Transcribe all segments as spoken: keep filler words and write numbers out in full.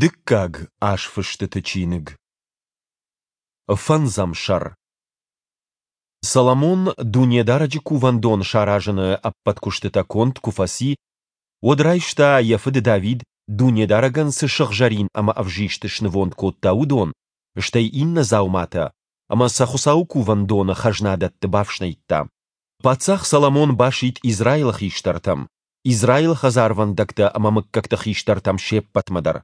Дыккаг азфыстыты чиныг. Фӕндзӕм сӕр. Соломон Дунедарӕджы Кувӕндон саразыны ӕппӕт куыстытӕ конд куы фӕци, уӕд райста, йӕ фыд Давид Дунедарӕгӕн цы сыгъзӕрин ӕмӕ ӕвзист снывонд кодта, уыдон, стӕй иннӕ дзауматӕ, ӕмӕ сӕ Хуыцауы Кувӕндоны хӕзнадӕтты бафснайдта. Паддзах Соломон басидт Израилы хистӕртӕм, Израилы хӕдзарвӕндӕгтӕ ӕмӕ мыггӕгты хистӕртӕм се ппӕтмӕ дӕр.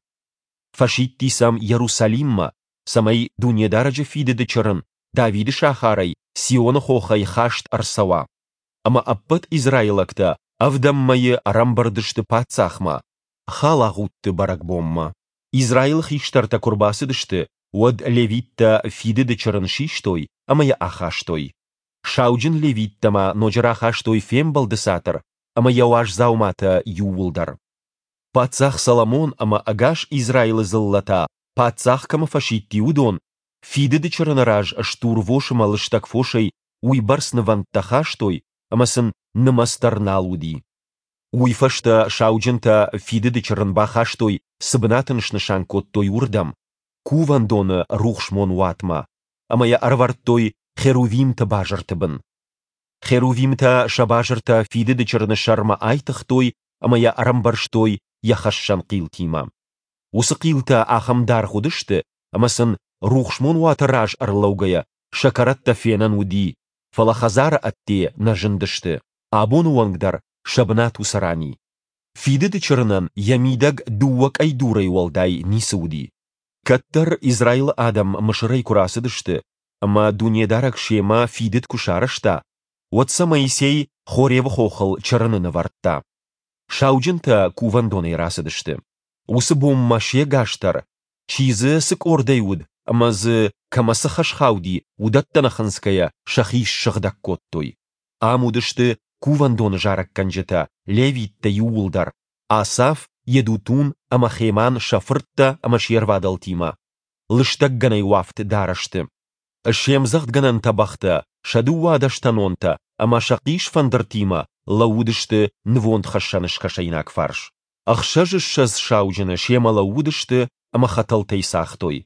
Фӕсидти сӕм Йерусалиммӕ, цӕмӕй Дунедарӕджы Фидыды Чырын Давиды сахарӕй, Сионы хохӕй хаст ӕрцӕуа. Ӕмӕ ӕппӕт израилӕгтӕ ӕвдӕм мӕйы ӕрӕмбырд сты паддзахмӕ, Халагъудты бӕрӕгбонмӕ. Израилы хистӕртӕ куы рбацыдысты, уӕд левиттӕ Фидыды Чырын систой ӕмӕ йӕ ахастой. Сауджын-левиттӕ ма ноджы рахастой Фембӕлды Цатыр ӕмӕ йӕ уаз дзауматӕ иууылдӕр. Паддзах Соломон ӕмӕ ӕгас Израилы дзыллӕ та, паддзах кӕмӕ фӕсидти, уыдон, Фидыды Чырыны раз стурвос ӕмӕ лыстӕг фосӕй уый бӕрц нывӕндтӕ хастой, ӕмӕ сын нымӕц дӕр нал уыди. Уый фӕстӕ сауджынтӕ Фидыды Чырын бахастой, цы бынат ын снысан кодтой, уырдӕм, Кувӕндоны рухсмон уатмӕ, ӕмӕ йӕ ӕрӕвӕрдтой херувимты базырты бын. Херувимтӕ сӕ базыртӕ Фидыды Чырыны сӕрмӕ айтыгътой ӕмӕ йӕ ӕрӕмбӕрзтой йӕ хӕссӕн хъилтимӕ. Уыцы хъилтӕ ахӕм даргъ уыдысты, ӕмӕ сын, рухсмон уаты раз ӕрлӕугӕйӕ, сӕ кӕрӕттӕ фенӕн уыди, фӕлӕ хӕдзары ӕдде нӕ зындысты, абоны онг дӕр сӕ бынат уыцы ран и. Фидыды Чырынӕн йӕ мидӕг дыууӕ къӕйдурӕй уӕлдай ницы уыди. Кӕддӕр Израилы адӕм Мысырӕй куы рацыдысты ӕмӕ Дунедарӕг семӕ фидыд куы сарӕзта, уӕд сӕ Моисей Хоревы хохыл Чырыны нывӕрдта. Сауджынтӕ кувӕндонӕй рацыдысты. Уыцы бонмӕ се гас дӕр, чи дзы цы къордӕй уыд ӕмӕ дзы кӕмӕ цы хӕс хауди, уыдӕттӕ нӕ хынцгӕйӕ сӕхи ссыгъдӕг кодтой. Ам уыдысты кувӕндоны зарӕггӕнджытӕ, левиттӕ иууылдӕр, Асаф, Йедутун ӕмӕ Хеман сӕ фырттӕ ӕмӕ се рвадӕлтимӕ, лыстӕггӕнӕй уӕфт дарӕсты. Се мдзӕгъдгӕнӕн тӕбӕгътӕ, сӕ дыууадӕстӕнонтӕ ӕмӕ сӕ хъисфӕндыртимӕ лӕууыдысты нывондхӕссӕны скӕсӕйнаг фарс. Ӕхсӕзыссӕдз сауджыны семӕ лӕууыдысты ӕмӕ хӕтӕлтӕй цагътой.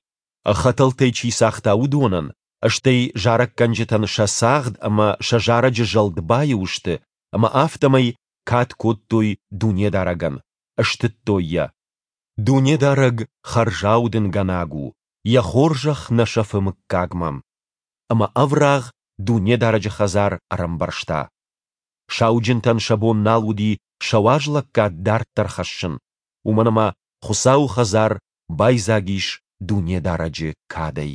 Хӕтӕлтӕй чи цагъта, уыдонӕн, стӕй зарӕггӕнджытӕн сӕ цагъд ӕмӕ сӕ зарӕджы зӕлд баиу сты, ӕмӕ афтӕмӕй кад кодтой Дунедарӕгӕн, стыдтой Йӕ. Дунедарӕг хӕрзаудынгӕнӕг у, Йӕ хорзӕх нӕ сӕфы мыггагмӕ. Ӕмӕ ӕврагъ Дунедарӕджы хӕдзар ӕрӕмбӕрзта. Сауджынтӕн сӕ бон нал уыди сӕ уазлӕггад дарддӕр хӕссын, уымӕн ӕмӕ Хуыцауы хӕдзар байдзаг ис Дунедарӕджы кадӕй.